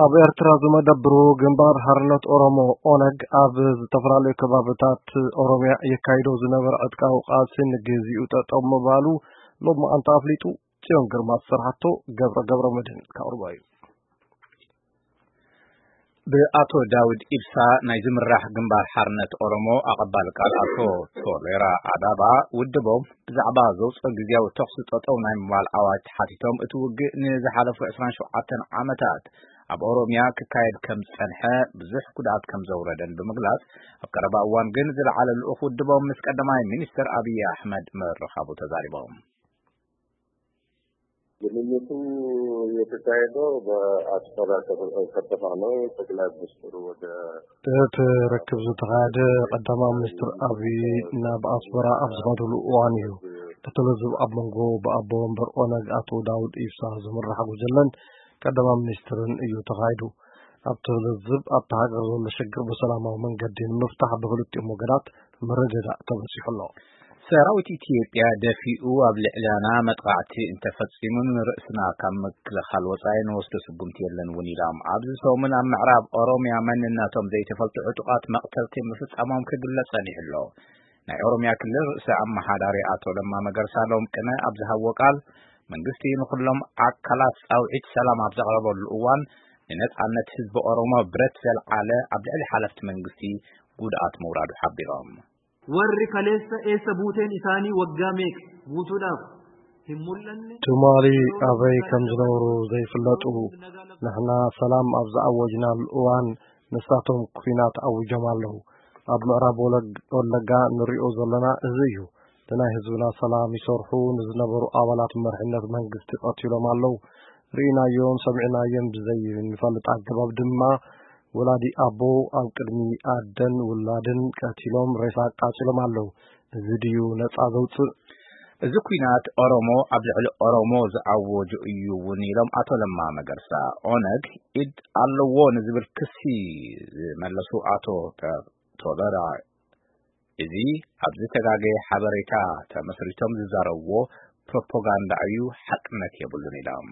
ኣብ ኤርትራ ዝመደብሩ ግንባር ሓርነት ኦሮሞ፣ ኦነግ፣ ኣብ ዝተፈላለዩ ከባብታት ኦሮምያ የካይዶ ዝነበረ ዕጥቃዊ ቃልሲ ንግዚኡ ጠጠው ምባሉ ሎማዓንቲ ኣፍሊጡ። ጽዮን ግርማ ዝሰርሓቶ ገብረ ገብረ መድህን ከቕርቦ እዩ። ብኣቶ ዳውድ ኢብሳ ናይ ዝምራሕ ግንባር ሓርነት ኦሮሞ ኣቐባል ቃል ኣቶ ቶሌራ ኣዳባ፣ ውድቦም ብዛዕባ ዘውፅኦ ግዜያዊ ተኹሲ ጠጠው ናይ ምባል ኣዋጅ ተሓቲቶም፣ እቲ ውግእ ንዝሓለፉ ዕስራን ሸውዓተን ዓመታት ኣብ ኦሮምያ ክካየድ ከም ዝጸንሐ፣ ብዙሕ ጉድኣት ከም ዘውረደን ብምግላጽ፣ ኣብ ቀረባ እዋን ግን ዝለዓለ ልኡኽ ውድቦም ምስ ቀዳማይ ሚኒስትር ኣብይ ኣሕመድ ምርኻቡ ተዛሪቦም። ግንኙቱ የተካሄደው በአስመራ ከተማ ነው። ጠቅላይ ሚኒስትሩ ወደ እቲ ርክብ ዝተኻየደ ቀዳማይ ሚኒስትር ኣብይ ናብ ኣስመራ ኣብ ዝኸድሉ እዋን እዩ። እቲ ልዝብ ኣብ መንጎ ብኣቦ ወንበር ኦነግ ኣቶ ዳውድ ኢብሳ ዝምራሕ ጉጅለን ቀዳማይ ሚኒስትርን እዩ ተኻይዱ። ኣብቲ ልዝብ ኣብታ ሃገር ዘሎ ሽግር ብሰላማዊ መንገዲ ንምፍታሕ ብክልቲኦም ወገናት ምርድዳእ ተበጺሑ ኣሎ። ሰራዊት ኢትዮጵያ ደፊኡ ኣብ ልዕሊና መጥቃዕቲ እንተፈጺሙ ንርእስና ካብ ምክልኻል ወጻኢ ንወስዶ ስጉምቲ የለን እውን ኢሎም። ኣብዚ ሰሙን ኣብ ምዕራብ ኦሮምያ መንነቶም ዘይተፈልጡ ዕጡቓት መቕተልቲ ምፍጻሞም ክግለጽ ጸኒሑ ኣሎ። ናይ ኦሮምያ ክልል ርእሰ ኣመሓዳሪ ኣቶ ለማ መገርሳ ሎም ቅነ ኣብ ዝሃብዎ ቃል፣ መንግስቲ ንኹሎም ኣካላት ጻውዒት ሰላም ኣብ ዘቕረበሉ እዋን፣ ንነጻነት ህዝቢ ኦሮሞ ብረት ዘልዓለ ኣብ ልዕሊ ሓለፍቲ መንግስቲ ጉድኣት ምውራዱ ሓቢሮም። Warri kaleessa eessa buuteen isaanii waggaa meeqa guutuudhaaf hin mul'anne? ትማሊ ኣበይ ከም ዝነበሩ ዘይፍለጡ፣ ንሕና ሰላም ኣብ ዝኣወጅናሉ እዋን ንሳቶም ኲናት ኣዊጆም ኣለዉ። ኣብ ምዕራብ ወለግ-፣ ወለጋ ንሪኦ ዘለና እዚ እዩ። ንናይ ህዝብና ሰላም ይሰርሑ ንዝነበሩ ኣባላት መሪሕነት መንግስቲ ቀቲሎም ኣለዉ። ርኢናዮም ሰሚዕናዮም ብዘይ ንፈልጥ ኣገባብ ድማ ወላዲ ኣቦ ኣብ ቅድሚ ኣደን ውላድን ቀቲሎም ሬሳ ኣቃጺሎም ኣለዉ። እዚ ድዩ ነጻ ዘውጽእ? እዚ ኲናት ኦሮሞ ኣብ ልዕሊ ኦሮሞ ዝኣወጆ እዩ እውን ኢሎም ኣቶ ለማ መገርሳ። ኦነግ ኢድ ኣለዎ ንዝብል ክሲ ዝመለሱ ኣቶ ተ-፣ ቶለራ፣ እዚ ኣብ ዝተጋገየ ሓበሬታ ተመስሪቶም ዝዛረብዎ ፕሮፓጋንዳ እዩ፣ ሓቅነት የብሉን ኢሎም።